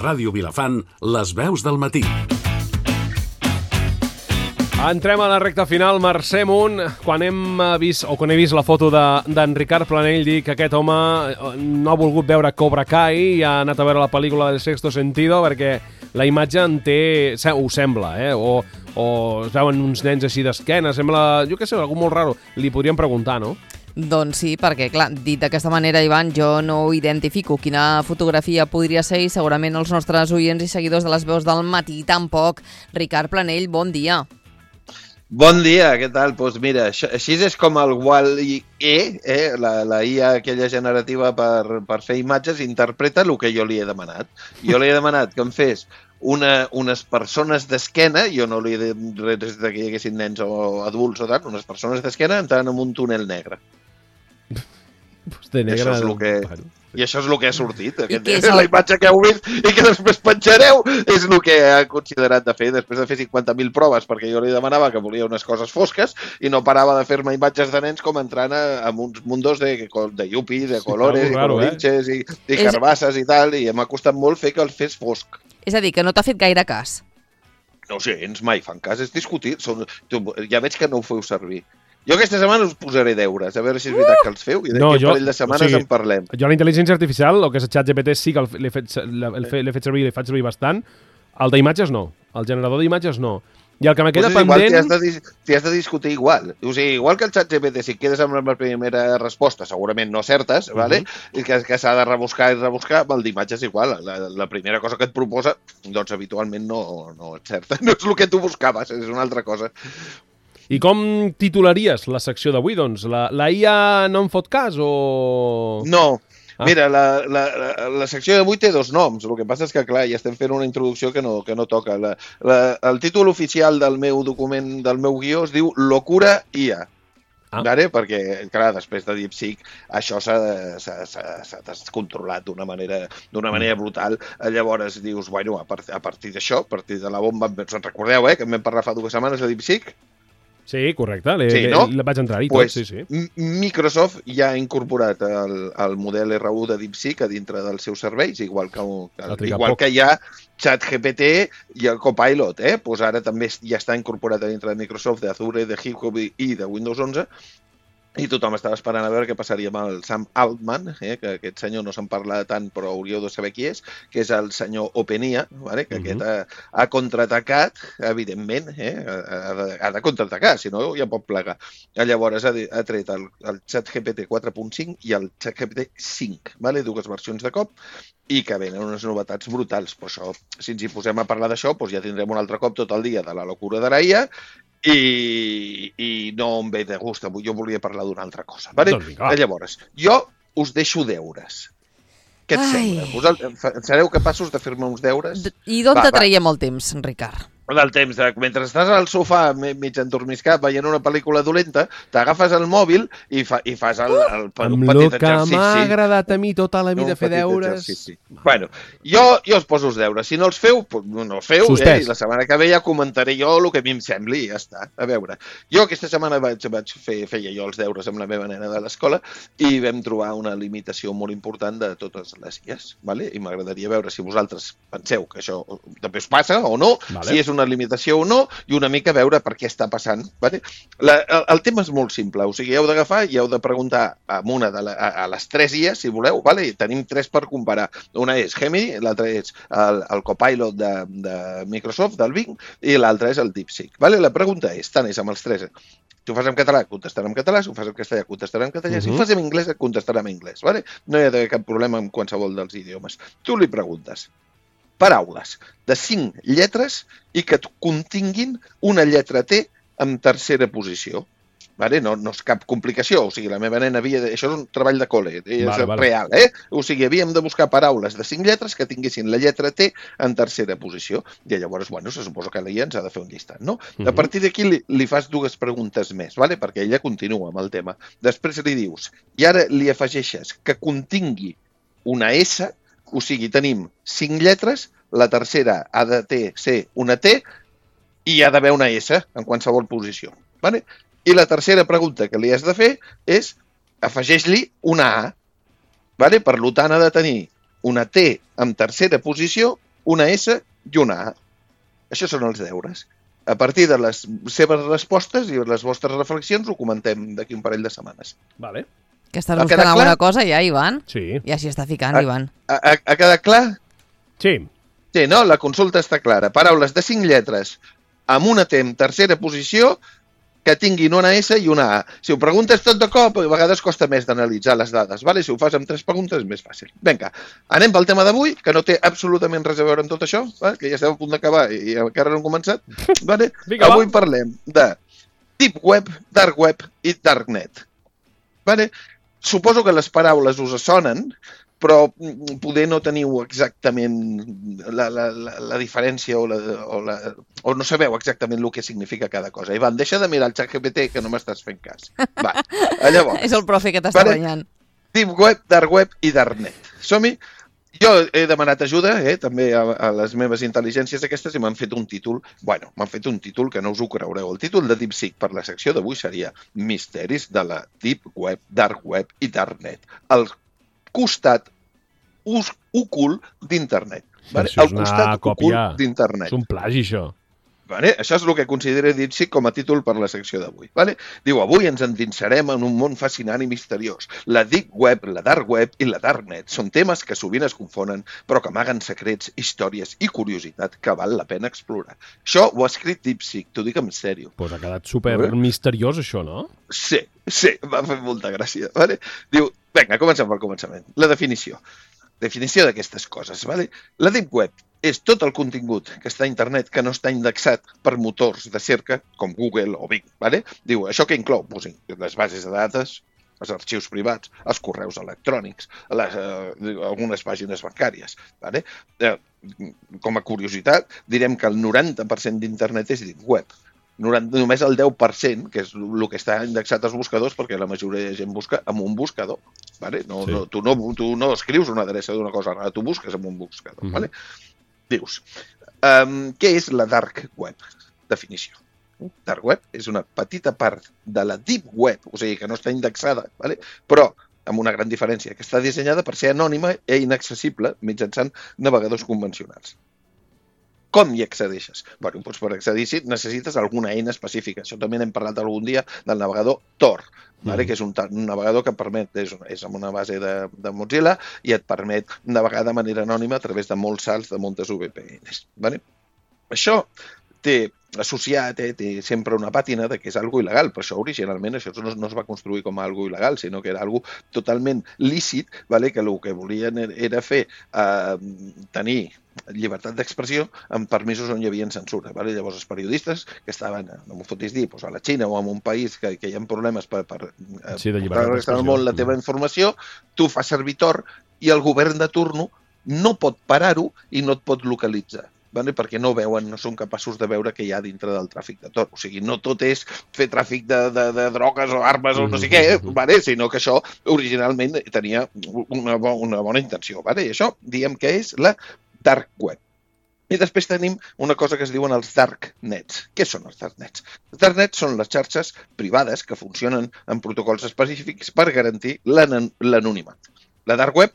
Ràdio Vilafant, les veus del matí. Entrem a la recta final, Mercè Munt. Quan he vist la foto d'en Ricard Planell dir que aquest home no ha volgut veure Cobra Kai i ha anat a veure la pel·lícula del Sexto Sentido perquè la imatge en té... ho sembla, o es veuen uns nens així d'esquena, sembla, jo què sé, algú molt raro. Li podríem preguntar, no? Doncs sí, perquè, clar, dit d'aquesta manera, Ivan, jo no ho identifico quina fotografia podria ser i segurament els nostres oients i seguidors de les veus del matí tampoc. Ricard Planell, bon dia. Bon dia, què tal? Doncs mira, així és com el WAL-E, la IA aquella generativa per fer imatges, interpreta el que jo li he demanat. Jo li he demanat que em fes unes persones d'esquena, jo no li he dit res que hi haguessin nens o adults o tant, unes persones d'esquena entrant en un túnel negre. De negre... I això és el que ha sortit. La imatge que heu vist i que després penjareu és el que ha considerat de fer, després de fer 50.000 proves, perquè jo li demanava que volia unes coses fosques i no parava de fer-me imatges de nens com entrant en uns mundos de yuppies, de colores, i colorinxes, i carbasses i tal, i m'ha costat molt fer que el fes fosc. És a dir, que no t'ha fet gaire cas. No sé, mai fan cas, és discutir. Ja veig que no ho feu servir. Jo aquesta setmana us posaré deures, a veure si és veritat que els feu, i d'aquí un parell de setmanes en parlem. Jo la intel·ligència artificial, el que és el ChatGPT, sí que l'he fet servir i l'he fet servir bastant. El d'imatges no, el generador d'imatges no. I el que me queda pendent... T'hi has de discutir igual. O sigui, igual que el ChatGPT, si quedes amb la primera resposta, segurament no certes, i que s'ha de rebuscar i rebuscar, amb el d'imatges igual. La primera cosa que et proposa, doncs habitualment no et certa. No és el que tu buscaves, és una altra cosa. I com titularies la secció d'avui, doncs? La IA no em fot cas o...? No. Mira, la secció d'avui té dos noms. El que passa és que, clar, ja estem fent una introducció que no toca. El títol oficial del meu document, del meu guió, es diu Locura IA. Perquè, clar, després de DeepSeek això s'ha descontrolat d'una manera brutal. Llavors dius, bueno, a partir d'això, a partir de la bomba... Us recordeu, que en vam parlar fa 2 setmanes de DeepSeek? Sí, correcte, vaig entrar-hi tot, sí. Microsoft ja ha incorporat el model R1 de DeepSeek a dintre dels seus serveis, igual que hi ha ChatGPT i el Copilot, doncs ara també ja està incorporat a dintre de Microsoft, d'Azure, de HipHop i de Windows 11, i tothom estava esperant a veure què passaria amb el Sam Altman, que aquest senyor no se'n parla tant, però hauríeu de saber qui és, que és el senyor OpenIA, que aquest ha contraatacat, evidentment, ha de contraatacar, si no ja pot plegar. Llavors ha tret el ChatGPT 4.5 i el ChatGPT 5, dues versions de cop, i que venen unes novetats brutals. Però això, si ens hi posem a parlar d'això, ja tindrem un altre cop tot el dia de la locura de la IA, i no em ve de gust. Jo volia parlar d'una altra cosa. Llavors, jo us deixo deures. Què et sembla? Sereu capaços de fer-me uns deures? I d'on te traiem el temps, Ricard? Del temps, mentre estàs al sofà mig endormiscat veient una pel·lícula dolenta, t'agafes el mòbil i fas un petit exercici. Amb el que m'ha agradat a mi tota la vida fer deures... Bueno, jo us poso els deures. Si no els feu, no els feu, i la setmana que ve ja comentaré jo el que a mi em sembli i ja està. A veure, jo aquesta setmana feia jo els deures amb la meva nena de l'escola i vam trobar una limitació molt important de totes les IAs, i m'agradaria veure si vosaltres penseu que això també us passa o no, si és una limitació o no, i una mica veure per què està passant. El tema és molt simple, o sigui, heu d'agafar i heu de preguntar a les 3 IAs, si voleu, i tenim 3 per comparar. Una és Gemini, l'altra és el Copilot de Microsoft, del Bing, i l'altra és el DeepSeek. La pregunta és, tant és amb els 3, si ho fas en català, contestarà en català, si ho fas en castellà, contestarà en castellà, si ho fas en anglès, contestarà en anglès. No hi ha d'haver cap problema amb qualsevol dels idiomes. Tu li preguntes paraules de 5 lletres i que continguin una lletra T en tercera posició. No és cap complicació, o sigui, la meva nena havia... Això és un treball de col·le, és real, O sigui, havíem de buscar paraules de 5 lletres que tinguessin la lletra T en tercera posició. I llavors, se suposa que l'IA ens ha de fer un llistat, no? A partir d'aquí li fas 2 preguntes més, perquè ella continua amb el tema. Després li dius, i ara li afegeixes que contingui una S, o sigui, tenim 5 lletres, la tercera ha de ser una T i hi ha d'haver una S en qualsevol posició. I la tercera pregunta que li has de fer és afegeix-li una A. Per tant, ha de tenir una T en tercera posició una S i una A. Això són els deures. A partir de les seves respostes i les vostres reflexions ho comentem d'aquí un parell de setmanes. Vale. Que estàs buscant alguna cosa ja, Ivan? Sí. Ja s'hi està ficant, Ivan. Ha quedat clar? Sí. Sí, no? La consulta està clara. Paraules de 5 lletres amb una T en tercera posició que tinguin una S i una A. Si ho preguntes tot de cop, a vegades costa més d'analitzar les dades. Vale? Si ho fas amb 3 preguntes és més fàcil. Vinga, anem pel tema d'avui, que no té absolutament res a veure amb tot això, vale? Que ja estem a punt d'acabar i encara no hem començat. Vale? Avui parlem de Deep Web, Dark Web i Darknet. Vale? Suposo que les paraules us sonen, però poder no teniu exactament la diferència o no sabeu exactament el que significa cada cosa. Ivan, deixa de mirar el ChatGPT, que no m'estàs fent cas. Va, llavors. És el profe que t'està renyant. Deep Web, Dark Web i Darknet. Som-hi? Jo he demanat ajuda, també a les meves intel·ligències aquestes, i m'han fet un títol, m'han fet un títol que no us ho creureu. El títol de DeepSeek per la secció d'avui seria Misteris de la Deep Web, Dark Web i Darknet. El costat ocult d'internet. Vale? Això és una còpia, és un plagi, això. Vale? Això és el que considera DeepSeek com a títol per la secció d'avui. Vale? Diu, avui ens endinsarem en un món fascinant i misteriós. La Deep Web, la Dark Web i la Darknet són temes que sovint es confonen, però que amaguen secrets, històries i curiositat que val la pena explorar. Això ho ha escrit DeepSeek, t'ho dic en sèrio. Pues ha quedat super misteriós, això, no? Sí, m'ha fet molta gràcia. Vale? Diu, vinga, comencem pel començament. La definició. Definició d'aquestes coses. Vale? La Deep Web és tot el contingut que està a internet que no està indexat per motors de cerca com Google o Bing. Vale? Diu, això que inclou les bases de dades, els arxius privats, els correus electrònics, algunes pàgines bancàries. Vale? Com a curiositat, direm que el 90% d'internet és Deep Web. Només el 10%, que és el que està indexat als buscadors, perquè la majoria de gent busca amb un buscador. Vale? Tu no escrius una adreça d'una cosa rara, tu busques amb un buscador. Vale? Dius, què és la Dark Web? Definició. Dark Web és una petita part de la Deep Web, o sigui que no està indexada, vale? Però amb una gran diferència, que està dissenyada per ser anònima i inaccessible mitjançant navegadors convencionals. Com hi accedeixes? Bé, doncs per accedir-hi necessites alguna eina específica. Això també n'hem parlat algun dia del navegador Tor, que és un navegador que permet, és amb una base de Mozilla i et permet navegar de manera anònima a través de molts salts de moltes VPNs. Això té associat, té sempre una pàtina de que és algo il·legal, però això originalment això no es va construir com a algo il·legal, sinó que era algo totalment lícit, que el que volien era fer tenir llibertat d'expressió amb permisos on hi havia censura. Llavors els periodistes que estaven, no m'ho fotis dir, a la Xina o en un país que hi ha problemes per restar al món la teva informació, tu fas servir Tor i el govern de turno no pot parar-ho i no et pot localitzar. Perquè no veuen, no són capaços de veure què hi ha dintre del tràfic de Tor. O sigui, no tot és fer tràfic de drogues o armes o no sé què, sinó que això originalment tenia una bona intenció. I això diem que és la Dark Web. I després tenim una cosa que es diuen els Darknets. Què són els Darknets? Els Darknets són les xarxes privades que funcionen amb protocols específics per garantir l'anonimat. La Dark Web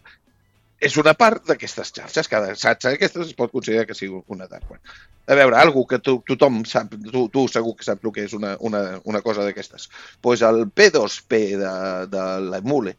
és una part d'aquestes xarxes. Cada xarxa d'aquestes es pot considerar que sigui una dark web. A veure, algú que tothom sap, tu segur que saps el que és una cosa d'aquestes. Doncs el P2P de l'Emule.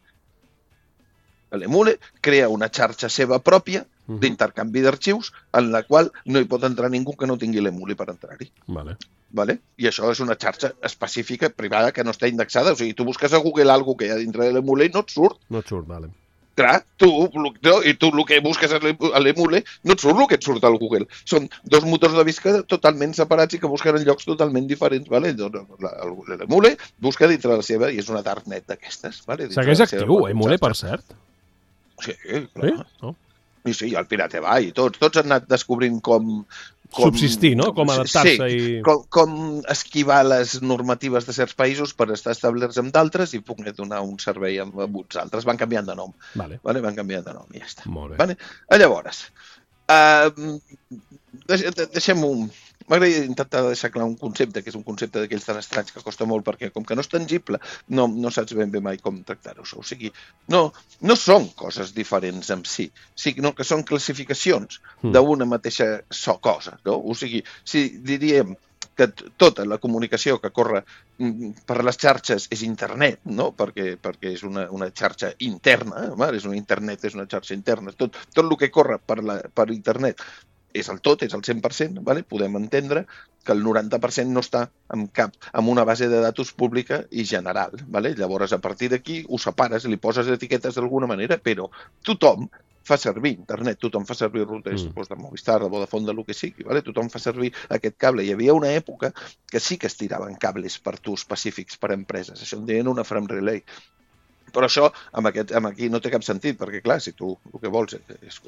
L'Emule crea una xarxa seva pròpia d'intercanvi d'arxius en la qual no hi pot entrar ningú que no tingui l'Emule per entrar-hi. Vale? I això és una xarxa específica, privada, que no està indexada. O sigui, tu busques a Google alguna que hi ha dintre de l'Emule i no et surt. No et surt, vale. Clar, tu el que busques a l'Emule no et surt el que et surt al Google. Són dos motors de visca totalment separats i que busquen en llocs totalment diferents. L'Emule busca dintre la seva i és una darknet d'aquestes. Segueix actiu, Emule, per cert? Sí, clar. Sí, el Pirate Bay i tots han anat descobrint com subsistir, no? Com adaptar-se i... com esquivar les normatives de certs països per estar establerts amb d'altres i poder donar un servei amb uns altres. Van canviant de nom. Van canviant de nom i ja està. Molt bé. Llavors, deixem-ho m'agradaria intentar deixar clar un concepte, que és un concepte d'aquells tan estranys que costa molt, perquè com que no és tangible, no saps ben bé mai com tractar-ho. O sigui, no són coses diferents en si, sinó que són classificacions d'una mateixa cosa, no? O sigui, si diríem que tota la comunicació que corre per les xarxes és internet, no? Perquè és una xarxa interna, és una internet, és una xarxa interna, tot el que corre per internet és el 100%, vale? Podem entendre que el 90% no està en una base de datos pública i general. Vale? Llavors, a partir d'aquí, ho separes, li poses etiquetes d'alguna manera, però tothom fa servir internet, tothom fa servir routers de Movistar, de Vodafone, de lo que sigui, vale? Tothom fa servir aquest cable. Hi havia una època que sí que es tiraven cables per tu específics per a empreses. Això en deien una frame relay. Però això, aquí no té cap sentit, perquè, clar, si tu el que vols és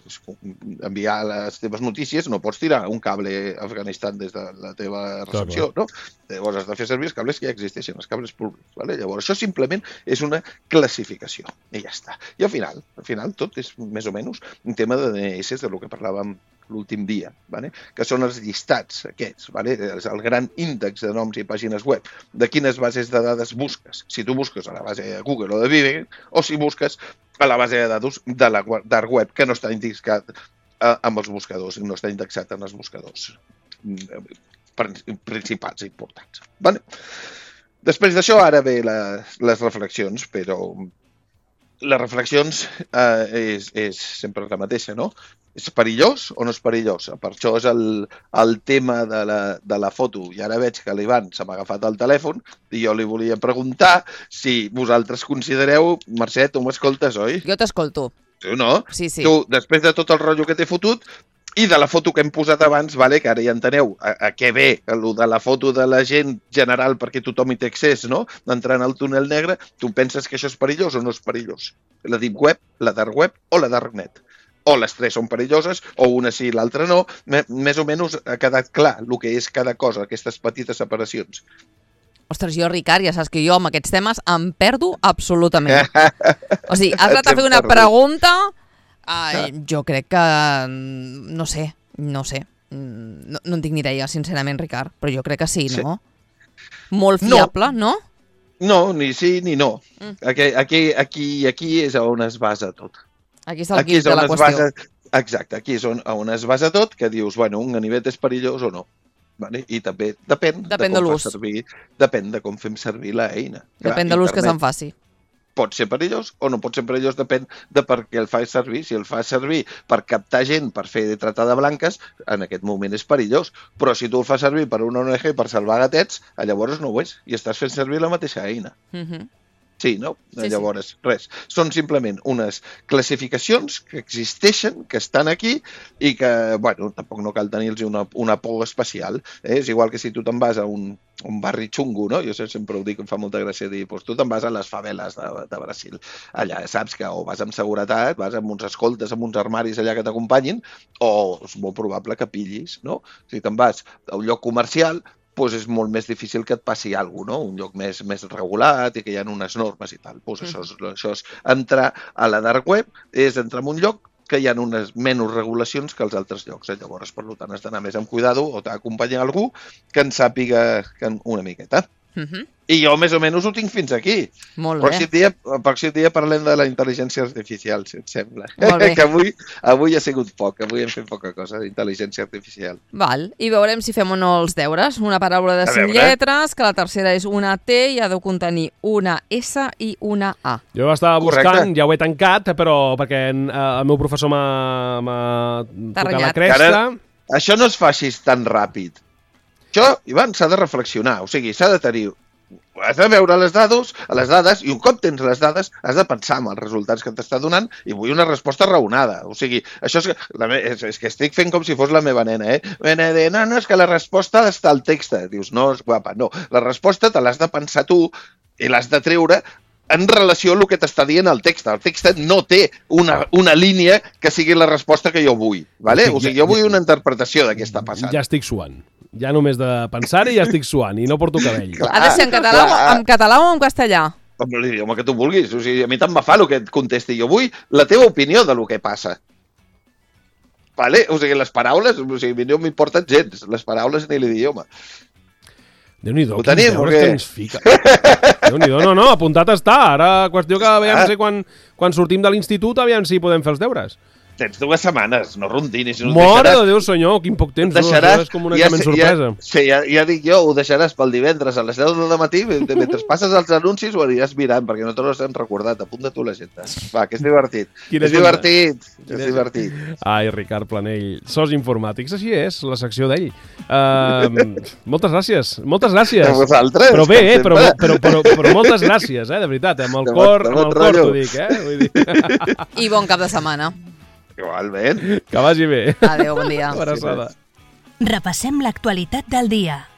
enviar les teves notícies, no pots tirar un cable a Afganistan des de la teva recepció, no? Llavors has de fer servir els cables que ja existeixen, els cables públics. Vale? Llavors, això simplement és una classificació, i ja està. I al final tot és més o menys un tema de DNS, de lo que parlàvem l'últim dia, vale? Que són els llistats aquests, vale? El gran índex de noms i pàgines web, de quines bases de dades busques. Si tu busques a la base de Google o de Vive, o si busques a la base de dades de la dark web, que no està indexat amb els buscadors, no està indexat en els buscadors principals i importants. Vale? Després d'això, ara ve les reflexions, però les reflexions és sempre la mateixa, no? És perillós o no és perillós? Per això és el tema de la foto. I ara veig que l'Ivan se m'ha agafat el telèfon i jo li volia preguntar si vosaltres considereu... Mercè, tu m'escoltes, oi? Jo t'escolto. Tu no? Sí. Tu, després de tot el rotllo que t'he fotut, i de la foto que hem posat abans, vale, que ara ja enteneu a què ve, el de la foto de la gent general perquè tothom hi té accés, no? Entrant al túnel negre, tu penses que això és perillós o no és perillós? La deep web, la dark web o la darknet? O les tres són perilloses, o una sí i l'altra no. Més o menys ha quedat clar el que és cada cosa, aquestes petites separacions. Ostres, jo, Ricard, ja saps que jo amb aquests temes em perdo absolutament. O sigui, has anat a fer una pregunta... jo crec que... No sé. No en tinc ni idea, sincerament, Ricard, però jo crec que sí, no? Molt fiable, no? No, ni sí ni no. Aquí és on es basa tot. Aquí està el guix de la qüestió. Exacte, aquí és on es basa tot, que dius, bueno, un ganivet és perillós o no. Vale? I també depèn de l'ús. Depèn de com fem servir l'eina. Depèn de l'ús que se'n faci. Pot ser perillós o no pot ser perillós, depèn de per què el fas servir. Si el fas servir per captar gent, per fer trata de blanques, en aquest moment és perillós. Però si tu el fas servir per una ONG per salvar gatets, llavors no ho és. I estàs fent servir la mateixa eina. Sí, no? Sí, llavors, res. Són simplement unes classificacions que existeixen, que estan aquí i que, bueno, tampoc no cal tenir-los una por especial. És igual que si tu te'n vas a un barri xungo, no? Jo sempre ho dic, em fa molta gràcia dir, doncs tu te'n vas a les faveles de Brasil. Allà saps que o vas amb seguretat, vas amb uns escoltes, amb uns armaris allà que t'acompanyin, o és molt probable que pillis, no? Si te'n vas a un lloc comercial, doncs és molt més difícil que et passi alguna cosa, no? Un lloc més regulat i que hi ha unes normes i tal. Doncs això és entrar a la dark web, és entrar en un lloc que hi ha unes menys regulacions que als altres llocs. Llavors, per tant, has d'anar més amb cuidado o t'acompanya algú que en sàpiga una miqueta. I jo més o menys ho tinc fins aquí. Molt bé. Pròxim dia parlem de la intel·ligència artificial, si et sembla. Que avui ha sigut poc, avui hem fet poca cosa d'intel·ligència artificial. Val, i veurem si fem o no els deures. Una paraula de 5 lletres, que la tercera és una T i ha de contenir una S i una A. Jo estava buscant, ja ho he tancat, però perquè el meu professor m'ha tocat la cresta. Això no es faci tan ràpid. Això, Ivan, s'ha de reflexionar, o sigui, s'ha de tenir... Has de veure les dades, i un cop tens les dades, has de pensar en els resultats que t'està donant i vull una resposta raonada. O sigui, això és que estic fent com si fos la meva nena, no, és que la resposta està al text. Dius, no, guapa, no. La resposta te l'has de pensar tu i l'has de treure en relació amb el que t'està dient el text. El text no té una línia que sigui la resposta que jo vull. Vale? O sigui, jo vull una interpretació de què està passant. Ja estic suant. Ja només de pensar-hi ja estic suant i no porto cabell. Ha de ser en català o en castellà? Amb l'idioma que tu vulguis. O sigui, a mi tant me fa el que et contesti. Jo vull la teva opinió de lo que passa. Vale? O sigui, les paraules, no m'importen gens, les paraules ni l'idioma. Déu-n'hi-do, ho tenim, o què? Que ens fica. Déu-n'hi-do, no, apuntat està. Ara, qüestió que aviam si quan sortim de l'institut, aviam si podem fer els deures. Tens 2 setmanes, no rondinis. Mare de Déu, senyor, quin poc temps. És com un examen sorpresa. Sí, ja dic jo, ho deixaràs pel divendres a les 10 del matí, mentre passes els anuncis ho aniràs mirant, perquè no te l'has recordat. Apunta tu l'agenda. Va, que és divertit. És divertit. Ai, Ricard Planell, sos informàtics, així és, la secció d'ell. Moltes gràcies. A vosaltres. Però bé, però moltes gràcies, de veritat, amb el cor t'ho dic, Vull dir. I bon cap de setmana. Igualment. Que vagi bé. Adéu, bon dia. Abraçada. Repassem l'actualitat del dia.